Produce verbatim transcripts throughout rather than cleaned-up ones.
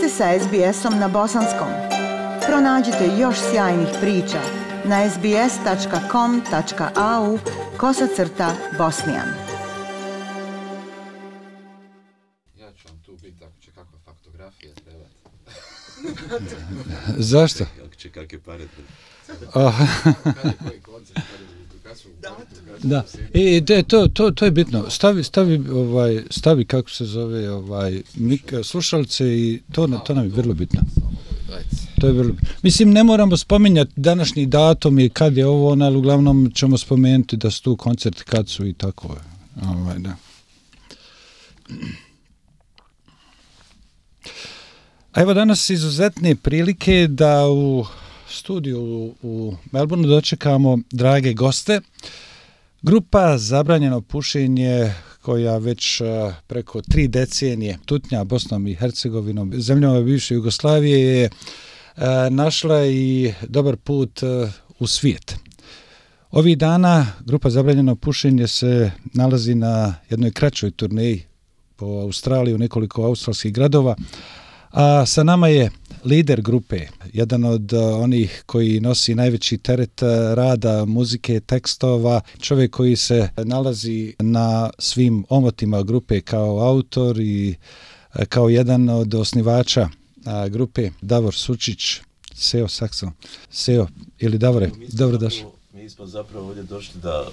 ste sa es be esom na bosanskom. Pronađite još sjajnih priča na es be es tačka com tačka a u kosacrta bosnijan. Ja ću vam tu biti ako će kakva faktografija trebati. Zašto? Ako će kakve pare Da. I de, to, to, to je bitno. Stavi, stavi, ovaj, stavi kako se zove, ovaj, mik, slušalice i to, to nam je vrlo bitno. To je vrlo bitno. Mislim, ne moramo spominjati današnji datum i kad je ovo, ali uglavnom ćemo spomenuti da su tu koncerti kad su i tako. Ovaj, da. A evo danas izuzetne prilike da u studiju u, u Melbourneu dočekamo drage goste. Grupa Zabranjeno pušenje koja već uh, preko tri decenije tutnja Bosnom i Hercegovinom, zemljama bivše Jugoslavije, je uh, našla i dobar put uh, u svijet. Ovih dana grupa Zabranjeno pušenje se nalazi na jednoj kraćoj turneji po Australiji u nekoliko australskih gradova, a sa nama je lider grupe, jedan od uh, onih koji nosi najveći teret uh, rada, muzike, tekstova, čovjek koji se nalazi na svim omotima grupe kao autor i uh, kao jedan od osnivača uh, grupe, Davor Sučić, Seo Sakso. Seo ili Davore, dobro došli. Mi smo zapravo ovdje došli da,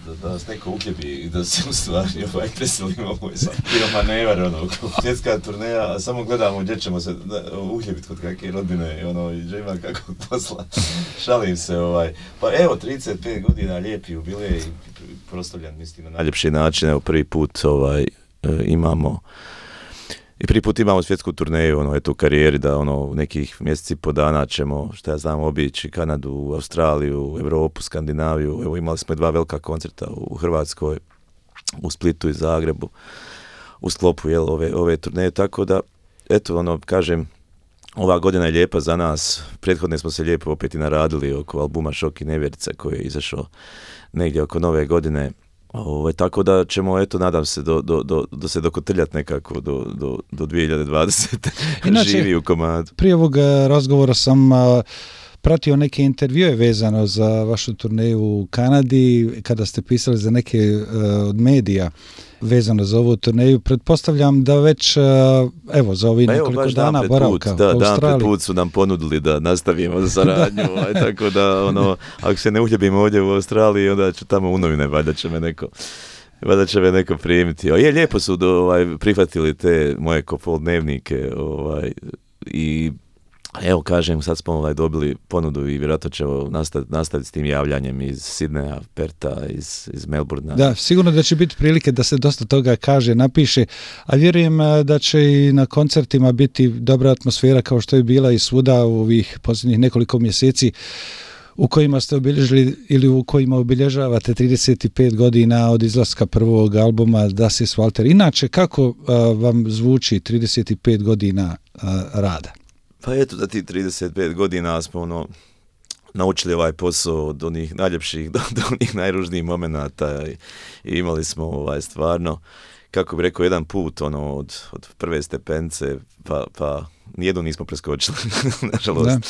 da, da nas neko uhljebi i da se u stvari ovaj preselimo ovo je bio manevar, ono, svjetska turneja, a samo gledamo gdje ćemo se uhljebiti kod kakve rodbine, ono, i džema kakvog posla, šalim se, ovaj, pa evo, trideset pet godina, lijepi jubilej, proslavljan, mislim, na najljepši način, evo, prvi put, ovaj, imamo, i prvi put imamo svjetsku turneju, ono, eto, u karijeri, da, ono, nekih mjeseci po dana ćemo, što ja znam, obići Kanadu, Australiju, Europu, Skandinaviju, evo, imali smo i dva velika koncerta u Hrvatskoj, u Splitu i Zagrebu, u sklopu, jel, ove, ove turneje, tako da, eto, ono, kažem, ova godina je lijepa za nas, prethodne smo se lijepo opet i naradili oko albuma Šok i nevjerica koji je izašao negdje oko nove godine. Ovo, tako da ćemo, eto, nadam se, do, do, do, do se dokotrljati nekako do, do, do dvije hiljade dvadesete. Inače, živi u komadu. Prije ovog razgovora sam a, pratio neke intervjue vezano za vašu turneju u Kanadi, kada ste pisali za neke a, od medija vezano za ovu turneju. Pretpostavljam da već, a, evo, za ovih nekoliko evo, dana boravka da, u Australiji. Dan pred put su nam ponudili da nastavimo saradnju, ovaj, tako da, ono, ako se ne uhljebimo ovdje u Australiji, onda ću tamo u novine, valjda će me neko... Vada će me neko primiti. O, je, lijepo su do, ovaj, prihvatili te moje Kopol dnevnike, ovaj, i evo, kažem, sad smo ovaj, dobili ponudu i vjerojatno ćemo nastaviti, nastaviti s tim javljanjem iz Sidneja, Perta, iz, iz Melbournea. Da, sigurno da će biti prilike da se dosta toga kaže, napiše, a vjerujem da će i na koncertima biti dobra atmosfera kao što je bila i svuda u ovih posljednjih nekoliko mjeseci u kojima ste obilježili ili u kojima obilježavate trideset pet godina od izlaska prvog albuma Das ist Walter. Inače, kako a, vam zvuči trideset pet godina a, rada? Pa eto, da ti trideset pet godina smo ono, naučili ovaj posao od onih najljepših do, do onih najružnijih momenata i, i imali smo ovaj, stvarno, kako bi rekao, jedan put ono, od, od prve stepence, pa, pa nijednu nismo preskočili, nažalost. Da.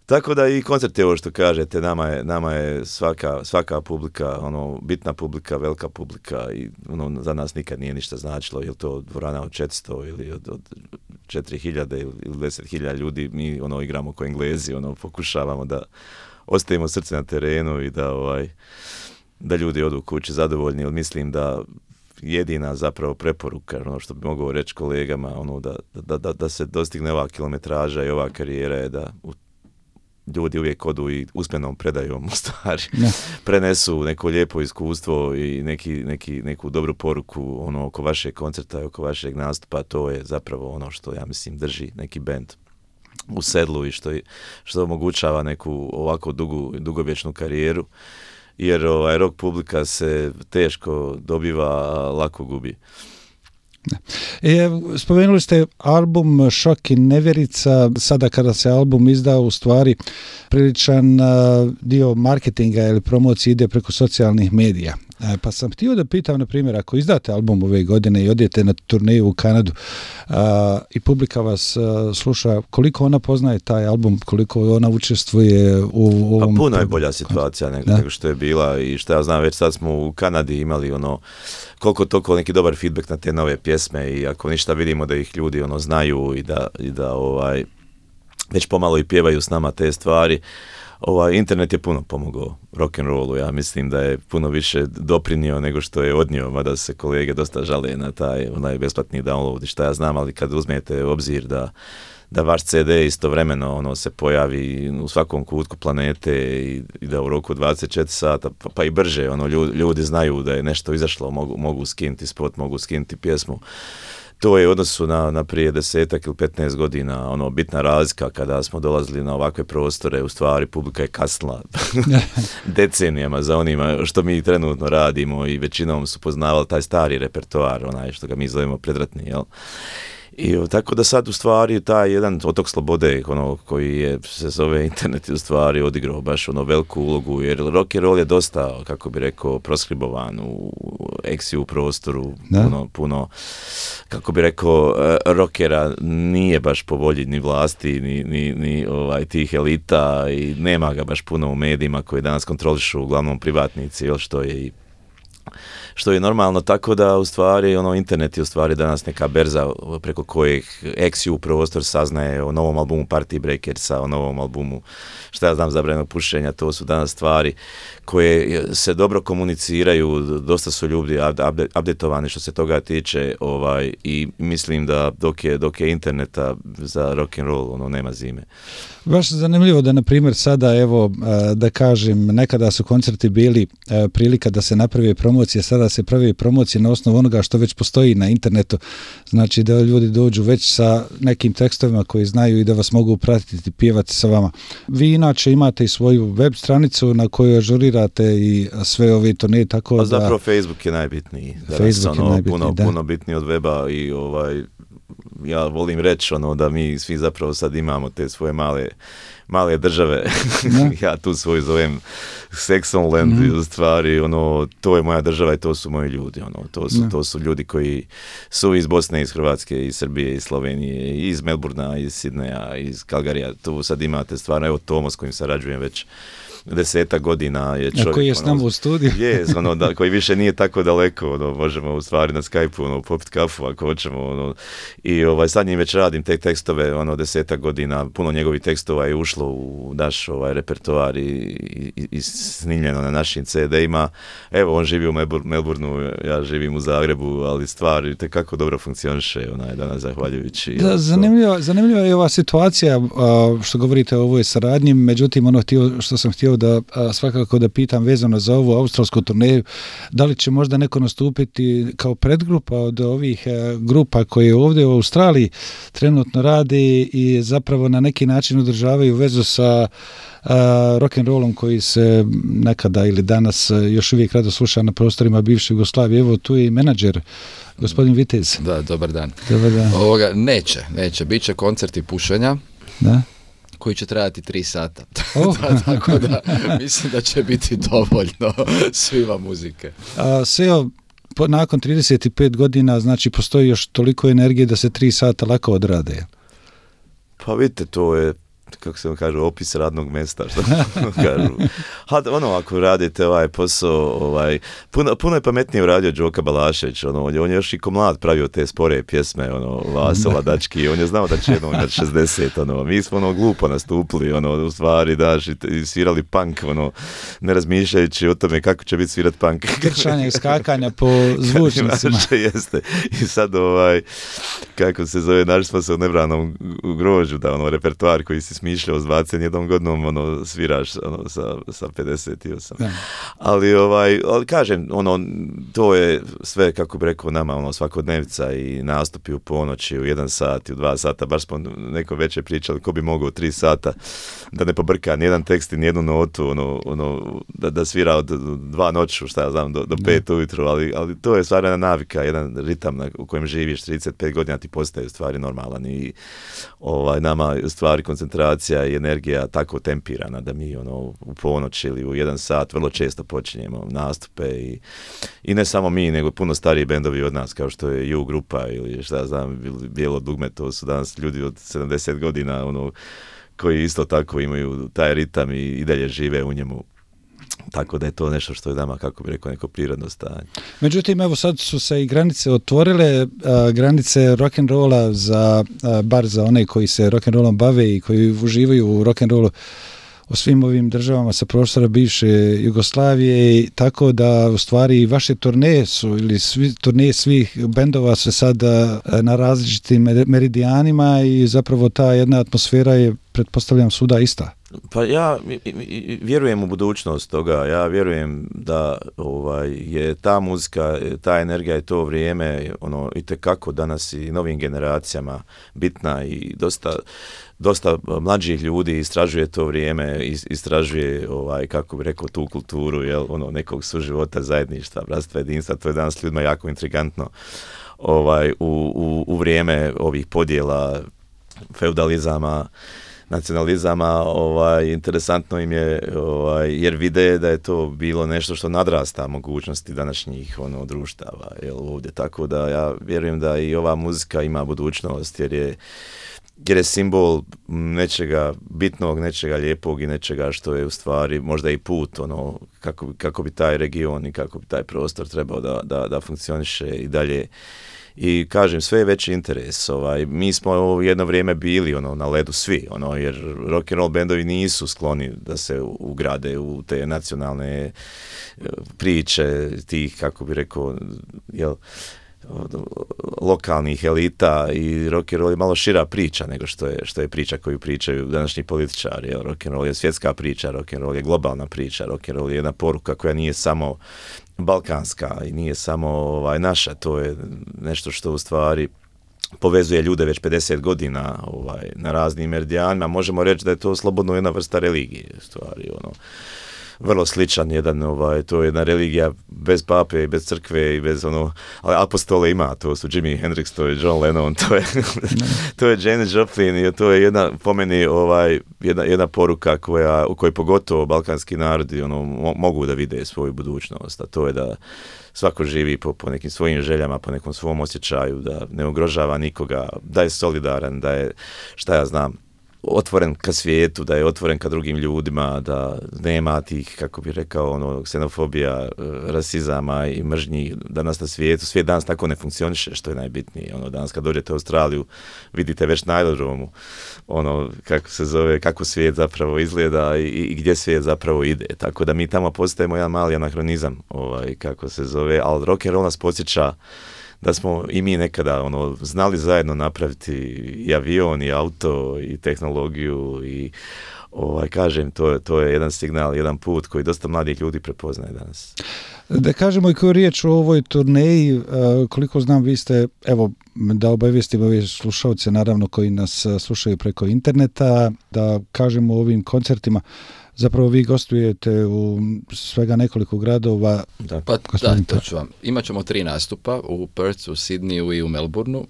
Tako da i koncert je ovo što kažete, nama je, nama je svaka, svaka publika, ono, bitna publika, velika publika i ono, za nas nikad nije ništa značilo, je li to dvorana od četiristo ili od, od četiri hiljade ili deset hiljada ljudi, mi ono, igramo ko Englezi, ono, pokušavamo da ostavimo srce na terenu i da, ovaj, da ljudi odu kući zadovoljni, jer mislim da jedina zapravo preporuka, ono što bi mogao reći kolegama, ono, da, da, da, da se dostigne ova kilometraža i ova karijera je da u ljudi uvijek odu i usmenom predajom u stvari ne. prenesu neko lijepo iskustvo i neki, neki, neku dobru poruku ono, oko vašeg koncerta i oko vašeg nastupa. To je zapravo ono što ja mislim drži neki bend u sedlu i što, što omogućava neku ovako dugu, dugovječnu karijeru, jer ovaj, rock publika se teško dobiva, a lako gubi. E, spomenuli ste album Šok i nevjerica, sada kada se album izda, u stvari priličan uh, dio marketinga ili promocije ide preko socijalnih medija. E, pa sam htio da pitam, na primjer, ako izdate album ove godine i odete na turneju u Kanadu, uh, i publika vas a, sluša, koliko ona poznaje taj album, koliko ona učestvuje u ovom... Pa puno je bolja situacija nego, nego što je bila i što ja znam, već sad smo u Kanadi imali ono, koliko toliko neki dobar feedback na te nove pjesme i ako ništa vidimo da ih ljudi ono znaju i da, i da ovaj, već pomalo i pjevaju s nama te stvari. Ovaj, internet je puno pomogao rock'n'rollu, ja mislim da je puno više doprinio nego što je odnio, mada se kolege dosta žale na taj onaj besplatni download i šta ja znam, ali kad uzmete u obzir da, da vaš ce de istovremeno ono, se pojavi u svakom kutku planete i, i da u roku dvadeset četiri sata, pa, pa i brže, ono, ljudi, ljudi znaju da je nešto izašlo, mogu, mogu skinuti spot, mogu skinuti pjesmu. To je u odnosu na, na prije desetak ili petnaest godina ono, bitna razlika kada smo dolazili na ovakve prostore, u stvari publika je kasnila decenijama za onima što mi trenutno radimo i većinom su poznavali taj stari repertoar, onaj što ga mi zovemo predratni, jel? I tako da sad u stvari taj jedan otok slobode ono, koji je, se zove internet, u stvari odigrao baš ono veliku ulogu, jer rock and roll je dosta, kako bi rekao, proskribovan u eksiju prostoru, puno, puno, kako bi rekao, rockera nije baš po volji ni vlasti, ni, ni, ni ovaj, tih elita i nema ga baš puno u medijima koji danas kontrolišu uglavnom privatnici, jel, što je i što je normalno, tako da u stvari ono, internet je u stvari danas neka berza preko kojih eksiju prostor saznaje o novom albumu Party Breakersa, o novom albumu šta ja znam Zabranjenog pušenja, to su danas stvari koje se dobro komuniciraju, dosta su ljudi updateovani što se toga tiče, ovaj, i mislim da dok je, dok je interneta za rock and roll ono, nema zime. Baš zanimljivo da, na primjer, sada, evo, da kažem, nekada su koncerti bili prilika da se napravi promocija, sada se pravi promocija na osnovu onoga što već postoji na internetu, znači da ljudi dođu već sa nekim tekstovima koji znaju i da vas mogu pratiti, pjevati sa vama. Vi inače imate i svoju web stranicu na kojoj ažurirate i sve ove turneje, tako da... A zapravo Facebook je najbitniji. Facebook ono, je najbitniji, puno, da. Puno bitniji od weba i ovaj... Ja volim reći ono, da mi svi zapravo sad imamo te svoje male, male države. Ja tu svoju zovem Saxonland, mm-hmm. u stvari ono, to je moja država i to su moji ljudi. Ono, to, su, to su ljudi koji su iz Bosne, iz Hrvatske, iz Srbije, iz Slovenije, iz Melburna, iz Sidneja, iz Kalgarija. Tu sad imate stvarno, evo Tomo s kojim sarađujem već desetak godina je čovjek. A koji je s nama u studiju. Je, ono, da, koji više nije tako daleko, ono, možemo u stvari na Skype-u ono, popiti kafu ako hoćemo. Ono, i ovaj, sad njim već radim te tekstove, ono, desetak godina, puno njegovih tekstova je ušlo u naš ovaj, repertoar i, i, i snimljeno na našim ce de-ima. Evo, on živi u Melbourneu, ja živim u Zagrebu, ali stvar tekako dobro funkcioniše, onaj, danas zahvaljujući. Da, zanimljiva, zanimljiva je ova situacija, što govorite o ovoj saradnji, međutim, ono htio, što sam htio da a, svakako da pitam vezano za ovu australsku turneju, da li će možda neko nastupiti kao predgrupa od ovih a, grupa koje ovdje u Australiji trenutno rade i zapravo na neki način održavaju vezu sa rock and rollom koji se nekada ili danas još uvijek rado sluša na prostorima bivše Jugoslavije. Evo tu je i menadžer, gospodin Vitez. Da, dobar dan. Dobar dan. Ovoga, neće, neće. Biće koncerti pušenja. Da. Koji će trajati tri sata. Oh. da, tako da mislim da će biti dovoljno svima muzike. A, Seo, po, nakon trideset pet godina, znači postoji još toliko energije da se tri sata lako odrade. Pa vidite, to je, kako se vam kaže, opis radnog mjesta, što kažu. Ha, ono, ako radite ovaj posao, ovaj, puno, puno je pametnije uradio Đoka Balašević, ono, on je još i ko mlad pravio te spore pjesme, ono, Vaso Ladački, on je znao da će jednom imati šezdeset, ono, mi smo, ono, glupo nastupili, ono, u stvari, daš, i, i svirali punk, ono, ne razmišljajući o tome kako će biti svirat punk. Grčanje i skakanja po zvučnicima. Jeste, i sad, ovaj, kako se zove, našli smo se u nebranom grožu, da, ono, repertoar koji si smišljao s dvadeset jednom godinom, ono, sviraš ono, sa, sa pedeset osam. Da. Ali, ovaj, ali kažem, ono, to je sve, kako bi rekao, nama ono, svakodnevca i nastupi u ponoći, u jedan sat i u dva sata, baš smo neko večer pričali ko bi mogao u tri sata da ne pobrka nijedan tekst i nijednu notu, ono, ono, da, da svira od dva noću, šta ja znam, do, do pet ujutru, ali, ali to je stvarna navika, jedan ritam na, u kojem živiš trideset pet godina ti postaje stvari normalan i ovaj, nama stvari koncentracije koncentracija i energija tako tempirana da mi ono u ponoć ili u jedan sat vrlo često počinjemo nastupe i, i ne samo mi, nego puno stariji bendovi od nas, kao što je U grupa ili šta znam, Bijelo dugme, to su danas ljudi od sedamdeset godina, ono, koji isto tako imaju taj ritam i, i dalje žive u njemu. Tako da je to nešto što je nama, kako bi rekao, neko prirodno stanje. Međutim, evo sad su se i granice otvorile, a, granice rock'n'rolla za, a, bar za one koji se rock'n'rollom bave i koji uživaju u rock'n'rollu u svim ovim državama sa prostora bivše Jugoslavije, tako da u stvari vaše turneje su, ili svi, turneje svih bendova su sad a, na različitim meridijanima i zapravo ta jedna atmosfera je, pretpostavljam, svuda ista. Pa ja vjerujem u budućnost toga, ja vjerujem da ovaj, je ta muzika, ta energija i to vrijeme ono, itekako danas i novim generacijama bitna i dosta, dosta mlađih ljudi istražuje to vrijeme, istražuje, ovaj, kako bi rekao, tu kulturu, jel, ono, nekog suživota, zajedništva, bratstva, jedinstva, to je danas ljudima jako intrigantno ovaj, u, u, u vrijeme ovih podjela, feudalizama, nacionalizama, ovaj, interesantno im je, ovaj, jer vide da je to bilo nešto što nadrasta mogućnosti današnjih ono, društava, jel, ovdje, tako da ja vjerujem da i ova muzika ima budućnost, jer je, jer je simbol nečega bitnog, nečega lijepog i nečega što je u stvari možda i put, ono, kako, kako bi taj region i kako bi taj prostor trebao da, da, da funkcioniše i dalje. I kažem, sve je veći interes. Ovaj, mi smo jedno vrijeme bili ono, na ledu svi, ono, jer rock and roll bendovi nisu skloni da se ugrade u te nacionalne priče tih, kako bi rekao, jel, lokalnih elita, i rock and roll je malo šira priča nego što je, što je priča koju pričaju današnji političari. Jel, rock and roll je svjetska priča, rock and roll je globalna priča, rock and roll je jedna poruka koja nije samo balkanska i nije samo ovaj, naša, to je nešto što u stvari povezuje ljude već pedeset godina ovaj, na raznim meridijanima. Možemo reći da je to slobodno jedna vrsta religije, u stvari, ono, vrlo sličan jedan, ovaj, to je jedna religija bez pape i bez crkve i bez ono, ali apostole ima, to su Jimi Hendrix, to je John Lennon, to je, to je Janis Joplin i to je jedna, po meni, ovaj, jedna, jedna poruka koja, u kojoj pogotovo balkanski narodi ono, mo, mogu da vide svoju budućnost, a to je da svako živi po, po nekim svojim željama, po nekom svom osjećaju, da ne ugrožava nikoga, da je solidaran, da je, šta ja znam, otvoren ka svijetu, da je otvoren ka drugim ljudima, da nema tih, kako bi rekao, ono, ksenofobija, rasizama i mržnji danas na svijetu. Svijet danas tako ne funkcioniše, što je najbitnije. Ono, danas kad dođete u Australiju, vidite već na aerodromu, ono, kako se zove, kako svijet zapravo izgleda i, i gdje svijet zapravo ide. Tako da mi tamo postajemo jedan mali anahronizam, ovaj, kako se zove, ali rock and roll nas podsjeća da smo i mi nekada ono, znali zajedno napraviti i avion, i auto, i tehnologiju, i ovaj, kažem, to, to je jedan signal, jedan put koji dosta mladih ljudi prepoznaje danas. Da kažemo i koju riječ o ovoj turneji, koliko znam, vi ste, evo, da obavijestimo ove slušalce, naravno, koji nas slušaju preko interneta, da kažemo o ovim koncertima. Zapravo vi gostujete u svega nekoliko gradova. Da, pa da, to ću vam. Imat ćemo tri nastupa u Perthu, u Sidneyu i u Melbourneu.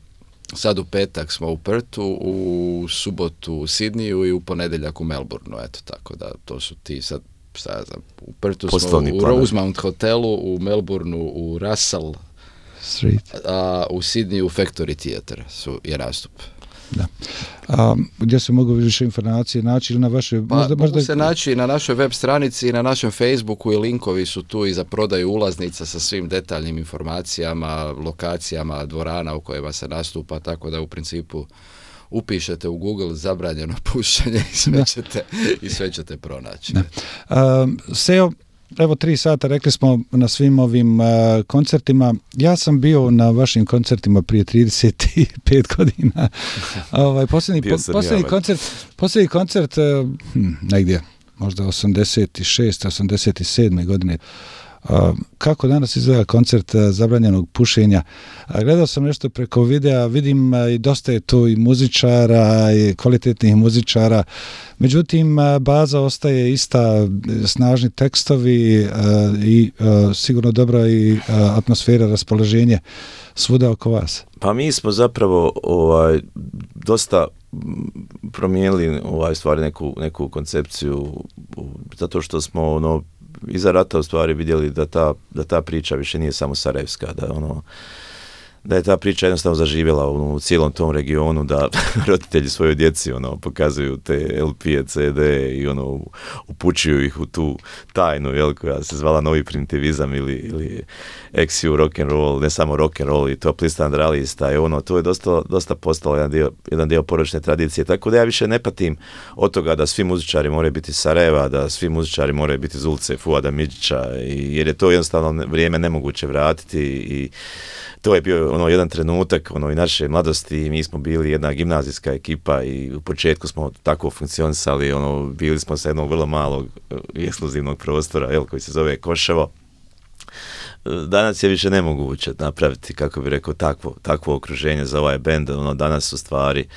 Sad u petak smo u Perthu, u subotu u Sidneyu i u ponedjeljak u Melbourneu. Eto, tako da to su ti sad, šta ja znam, u Perthu smo u Rosemount hotelu, u Melbourneu u Russell Street, a u Sidneyu u Factory Theatre su je nastup. Da. A, gdje se mogu više informacije naći ili na vašoj... Pa, možda, možda... mogu se naći na našoj web stranici i na našem Facebooku i linkovi su tu i za prodaju ulaznica sa svim detaljnim informacijama, lokacijama, dvorana u kojima se nastupa, tako da u principu upišete u Google zabranjeno pušenje i sve ćete, i sve ćete pronaći. A, Seo, evo tri sata, rekli smo na svim ovim uh, koncertima. Ja sam bio na vašim koncertima prije trideset pet godina. ovaj, posljednji, po, posljednji, koncert, posljednji koncert, uh, hm, negdje, možda osamdeset šeste osamdeset sedme godine. Uh, kako danas izgleda koncert uh, zabranjenog pušenja? Uh, gledao sam nešto preko videa, vidim uh, i dosta je tu i muzičara i kvalitetnih muzičara, međutim uh, baza ostaje ista, snažni tekstovi uh, i uh, sigurno dobra i uh, atmosfera, raspoloženje svuda oko vas. Pa mi smo zapravo ovaj, dosta promijenili ovaj stvari neku, neku koncepciju, zato što smo ono iza rata u stvari vidjeli da ta, da ta priča više nije samo sarajevska, da ono da je ta priča jednostavno zaživjela u, u cijelom tom regionu, da roditelji svojoj djeci ono pokazuju te el pe, ce de i ono upućuju ih u tu tajnu, jel, koja se zvala novi primitivizam ili, ili ex ju rock and roll, ne samo rock and roll i top list andralista, i ono, to je dosta, dosta postalo jedan dio, jedan dio porodične tradicije, tako da ja više ne patim od toga da svi muzičari moraju biti iz Sarajeva, da svi muzičari moraju biti iz ulice Fuada Midžića, jer je to jednostavno vrijeme nemoguće vratiti i to je bio ono jedan trenutak ono i naše mladosti, mi smo bili jedna gimnazijska ekipa i u početku smo tako funkcionisali, ono bili smo sa jednog vrlo malog ekskluzivnog prostora, jel, koji se zove Koševo. Danas je više nemoguće napraviti, kako bi rekao, takvo, takvo okruženje za ovaj bend, ono danas u stvari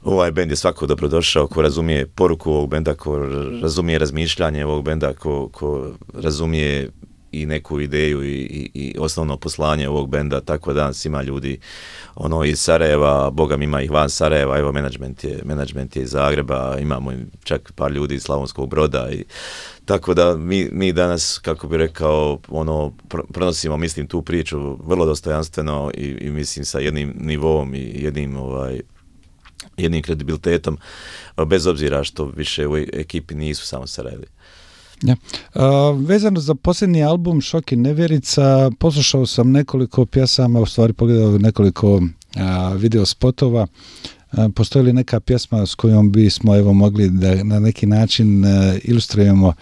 ovaj bend je svako dobrodošao ko razumije poruku ovog benda, ko razumije razmišljanje ovog benda, ko, ko razumije i neku ideju i, i, i osnovno poslanje ovog benda, tako da danas ima ljudi ono iz Sarajeva, Boga mi ima ih van Sarajeva, evo menadžment je, menadžment je iz Zagreba, imamo čak par ljudi iz Slavonskog Broda i tako da mi, mi danas, kako bi rekao, ono, pronosimo, mislim, tu priču vrlo dostojanstveno i, i mislim sa jednim nivom i jednim ovaj, jednim kredibilitetom, bez obzira što više u ekipi nisu samo Sarajevi. Ja. Uh, vezano za posljednji album Šok i nevjerica, poslušao sam nekoliko pjesama, u stvari pogledao nekoliko uh, video spotova. Uh, postoji li neka pjesma s kojom bismo evo mogli da na neki način uh, ilustrujemo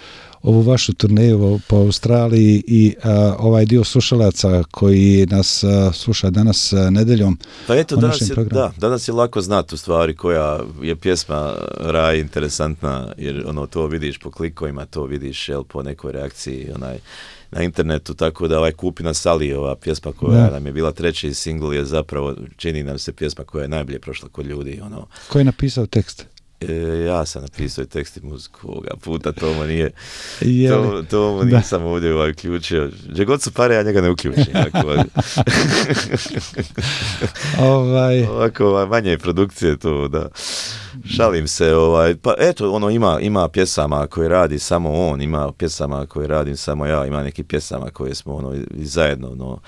ovu vašu turneju po Australiji i uh, ovaj dio slušalaca koji nas uh, sluša danas uh, nedeljom? Pa eto, danas je, da, danas je lako znati u stvari koja je pjesma Raj interesantna, jer ono to vidiš po klikovima, to vidiš jel, po nekoj reakciji onaj, na internetu, tako da ovaj Kupi na Sali, ova pjesma koja da. nam je bila treći singl, je zapravo, čini nam se pjesma koja je najbolje prošla kod ljudi. Ono. Ko je napisao tekst? E, ja sam napisao i tekst i muziku ovoga puta, Tomo nije, to, Tomo nisam ovdje ovaj uključio. Gdje god su pare, ja njega ne uključim. ovaj... Ovako, ovaj, manje produkcije to, da. Šalim se, ovaj, pa eto, ono, ima, ima pjesama koje radi samo on, ima pjesama koje radim samo ja, ima neki pjesama koje smo, ono, i zajedno, ono,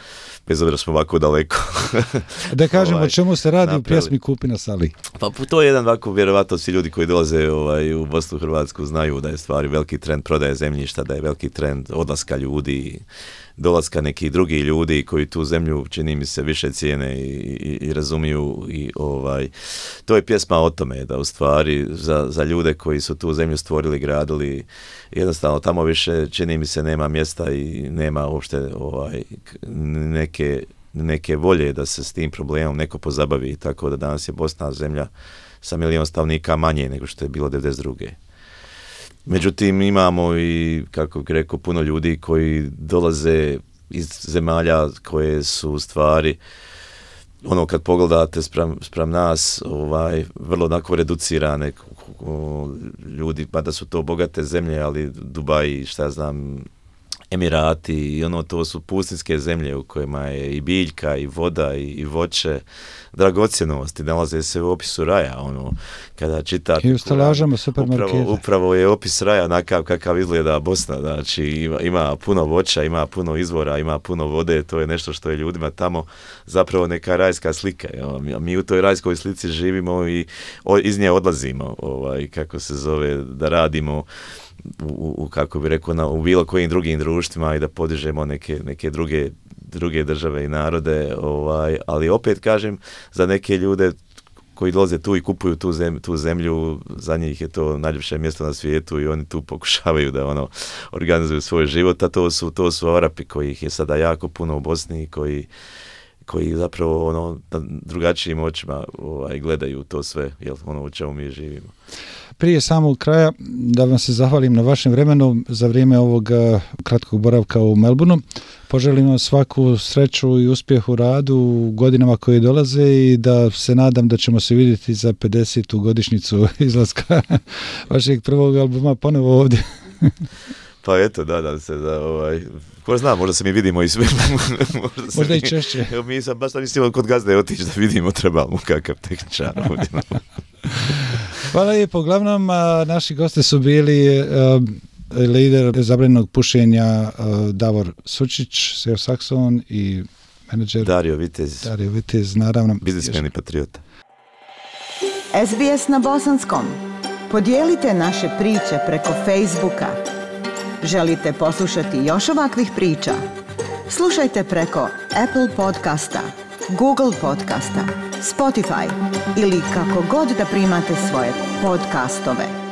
bez obzira smo ovako daleko. Da kažemo ovaj, o čemu se radi napravili. U pjesmi Kupi na Sali. Pa to je jedan ovako, vjerovatno svi ljudi koji dolaze ovaj, u Bosnu, Hrvatsku znaju da je stvari veliki trend prodaje zemljišta, da je veliki trend odlaska ljudi, dolaska nekih drugih ljudi koji tu zemlju, čini mi se, više cijene i, i, i razumiju i ovaj, to je pjesma o tome da u stvari za, za ljude koji su tu zemlju stvorili, gradili, jednostavno tamo više, čini mi se, nema mjesta i nema uopšte ovaj, neke, neke volje da se s tim problemom neko pozabavi, tako da danas je Bosna zemlja sa milion stanovnika manje nego što je bilo devedeset druge. Međutim, imamo i, kako bih rekao, puno ljudi koji dolaze iz zemalja koje su u stvari, ono kad pogledate spram, spram nas, ovaj, vrlo onako reducirane ljudi, pa da su to bogate zemlje, ali Dubai, šta ja znam, Emirati i ono, to su pustinske zemlje u kojima je i biljka i voda i, i voće, dragocjenosti, nalaze se u opisu raja, ono, kada čitate... I u stalažama supermarketa. Upravo, upravo je opis raja onakav kakav izgleda Bosna, znači ima, ima puno voća, ima puno izvora, ima puno vode, to je nešto što je ljudima tamo zapravo neka rajska slika. Jo. Mi, mi u toj rajskoj slici živimo i o, iz nje odlazimo, ovaj, kako se zove, da radimo U, u, kako bi rekao, na, u bilo kojim drugim društvima i da podižemo neke, neke druge, druge države i narode, ovaj, ali opet kažem, za neke ljude koji dolaze tu i kupuju tu, zem, tu zemlju, za njih je to najljepše mjesto na svijetu i oni tu pokušavaju da ono organizuju svoj život, a to su, to su Arapi kojih je sada jako puno u Bosni, koji koji zapravo ono drugačijim očima ovaj, gledaju to sve, jel, ono u čemu mi živimo. Prije samog kraja da vam se zahvalim na vašem vremenu za vrijeme ovog kratkog boravka u Melbourneu. Poželim vam svaku sreću i uspjeh u radu u godinama koje dolaze i da se nadam da ćemo se vidjeti za pedesetu godišnjicu izlaska vašeg prvog albuma ponovo ovdje. Pa eto, nadam se da, ovaj, ko zna, možda se mi vidimo i sve. možda, možda i češće. Evo, mi sam baš mislimo kod gazde otići da vidimo treba mu kakav tehničar ovdje. Hvala lijepo. Uglavnom, a, naši gosti su bili a, lider zabranjenog pušenja a, Davor Sučić, S E O Saxon i menadžer Dario Vitez. Dario Vitez, naravno. Biznismen i patriota. S B S na bosanskom. Podijelite naše priče preko Facebooka. Želite poslušati još ovakvih priča? Slušajte preko Apple podcasta, Google podcasta, Spotify ili kako god da primate svoje podcastove.